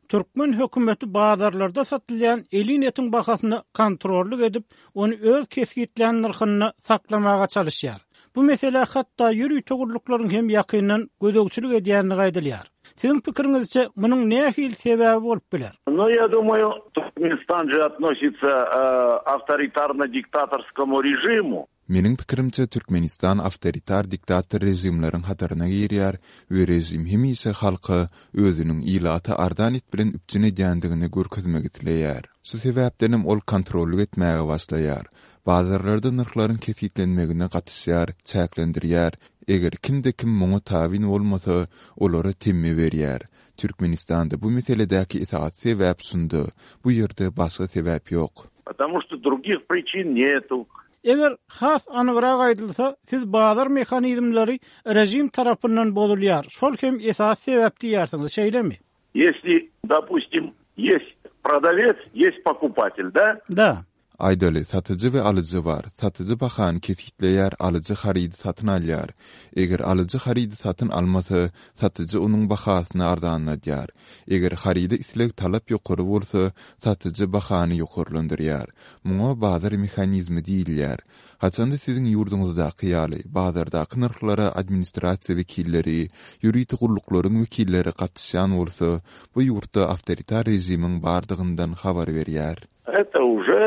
Türkmen hökümeti bazarlarda satylýan elin etiň bahasyna kontrollyk edip, ony öz kesgitlän nyrhynda saklamaga çalyşýar. Bu meselä hatda ýörite gulluklaryň hem ýakyndan gözegçilik edýändigi aýdylýar. Siziň pikiriňizçe, munuň nähili sebäbi bolup biler? No ya думаю, Туркменистан же относится авторитарно-диктаторскому режиму. Meniň pikirimçe, Türkmenistan awtoritar-diktator režimleriň hataryna girýär we režim hemişe halka özüniň ilaty arzan et bilen üpjün edýändigini görkezmek isleýär. Şu sebäpdenem ol kontrollyk etmäge başlaýar. Bazarlarda nyrhlaryň kesgitlenmegine gatyşýar, çäklendirýär, eger kimde-kim muňa tabyn bolmasa, olara temmi berýär. Türkmenistanda bu meseledäki esasy sebäp şunda, bu ýerde başga sebäp ýok. Потому что других причин нету. Eger has anygrak aýdylsa, siz bazar mehanizmleri režim tarapyndan bozulýar, şol hem esasy sebäp diýýärsiňiz, şeýlemi? Ýesli, dopustim, ýest prodawes, ýest pokupatel, da? Da. Aýdaly, satyjy we alyjy bar. Satyjy bahany kesgitleýär, alyjy harydy satyn alýar. Eger alyjy harydy satyn almasa, satyjy onuň bahasyny arzanladýar. Eger haryda isleg-talap ýokary bolsa, satyjy bahany ýokarlandyrýar. Muňa bazar mehanizmi diýilýär. Haçanda siziň ýurduňyzdaky ýaly, bazardaky nyrhlara administrasiýa wekilleri, ýörite gulluklaryň wekilleri gatyşýan bolsa, bu ýurtda awtoritar režimiň bardygyndan habar berýär. Eto uje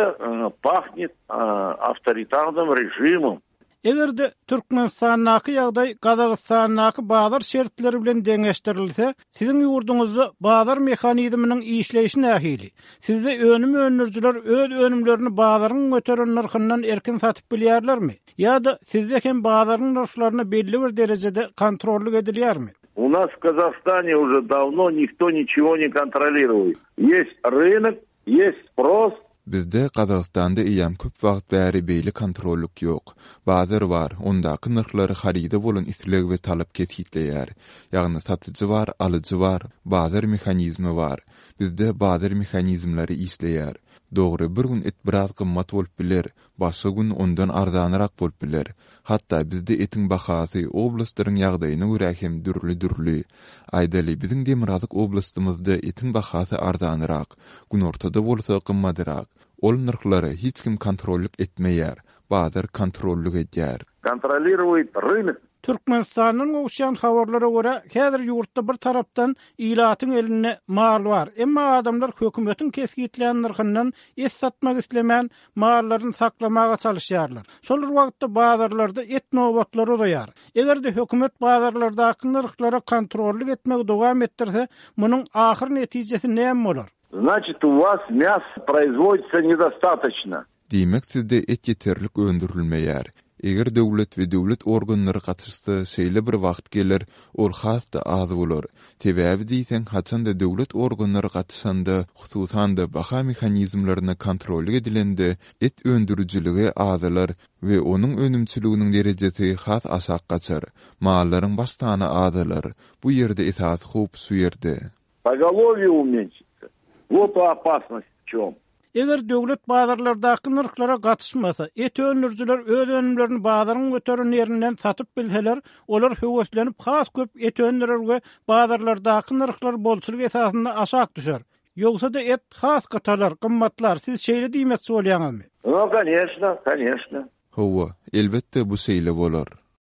pahnet awtoritarnym režimom. Eger-de Türkmenistandaky ýagdaý Gazagystandaky bazar şertleri bilen deňeşdirilse, siziň ýurduňyzda bazar mehanizminiň işleýşi nähili? Sizde önüm öndürijiler öz önümlerini bazaryň göteren nyrhyndan erkin satyp bilýärlermi? Ýa-da sizde hem bazaryň nyrhlaryna belli bir derejede kontrollyk edilýärmi? U nas w Kazahstane uje dawno nikto niçego ne kontroliruet. Ýest rynok, Ýest sprost. Bizde Gazagystanda eýýäm köp wagt bäri beýle kontrollyk ýok. Bazar bar, ondaky nyrhlary haryda bolan isleg we talap kesgitleýär. Ýagny satyjy bar, alyjy bar, bazar mehanizmi bar. Bizde bazar mehanizmleri işleýär. Dogry, bir gün et biraz gymmat bolup biler, Başga gün ondan arzanrak bolup biler. Hatda bizde etiň bahasy oblastlaryň ýagdaýyna görä hem dürli-dürli. Aýdaly, biziň demirgazyk oblastymyzda etiň bahasy arzanrak, günortada bolsa gymmadrak. Ol nyrhlara hiç kim kontrollyk etmeýär, bazar kontrollyk edýär. Kontroliruet rynok. Türkmenistandan gowuşýan habarlara görä, häzir ýurtda bir tarapdan ilatyň elinde mal bar, emma adamlar hökümetiň kesgitlän nyrhyndan et satmak islemän, mallaryny saklamaga çalyşýarlar. Şol bir wagtda bazarlarda et nobatlary uzaýar. Eger-de hökümet bazarlardaky nyrhlara kontrollyk etmegi dowam etdirse, munuň ahyr netijesi näme bolar? Znaçit u was mýas proizwoditsa nedostatoçno. Diýmek sizde et ýeterlik öndürilmeýär. Eger döwlet we döwlet organlary gatyşsa şeýle bir wagt geler ol has-da az bolar. Sebäbi diýseň haçanda döwlet organlary gatyşanda hususan-da baha mehanizmlerine kontrollyk edilende et öndürijiligi azalar we onuň önümçiliginiň derejesi has aşak gaçar. Mallaryň baş sany azalar. Bu ýerde esasy howp şu ýerde. Pogolowýe umenşitsa. Wot opasnost w çom. Eger döwlet bazarlardaky nyrhlara gatyşmasa, et öndürijiler öz önümlerini bazaryň göteren ýerinden satyp bilseler, olar höweslenip has köp et öndürer we bazarlardaky nyrhlar bolçulyk esasynda aşak düşer. Ýogsa-da et has gytalar, gymmatlar, siz şeýle diýmekçi bolýaňyzmy? No, koneçno, koneçno. Hawa, elbetde bu şeýle bolar.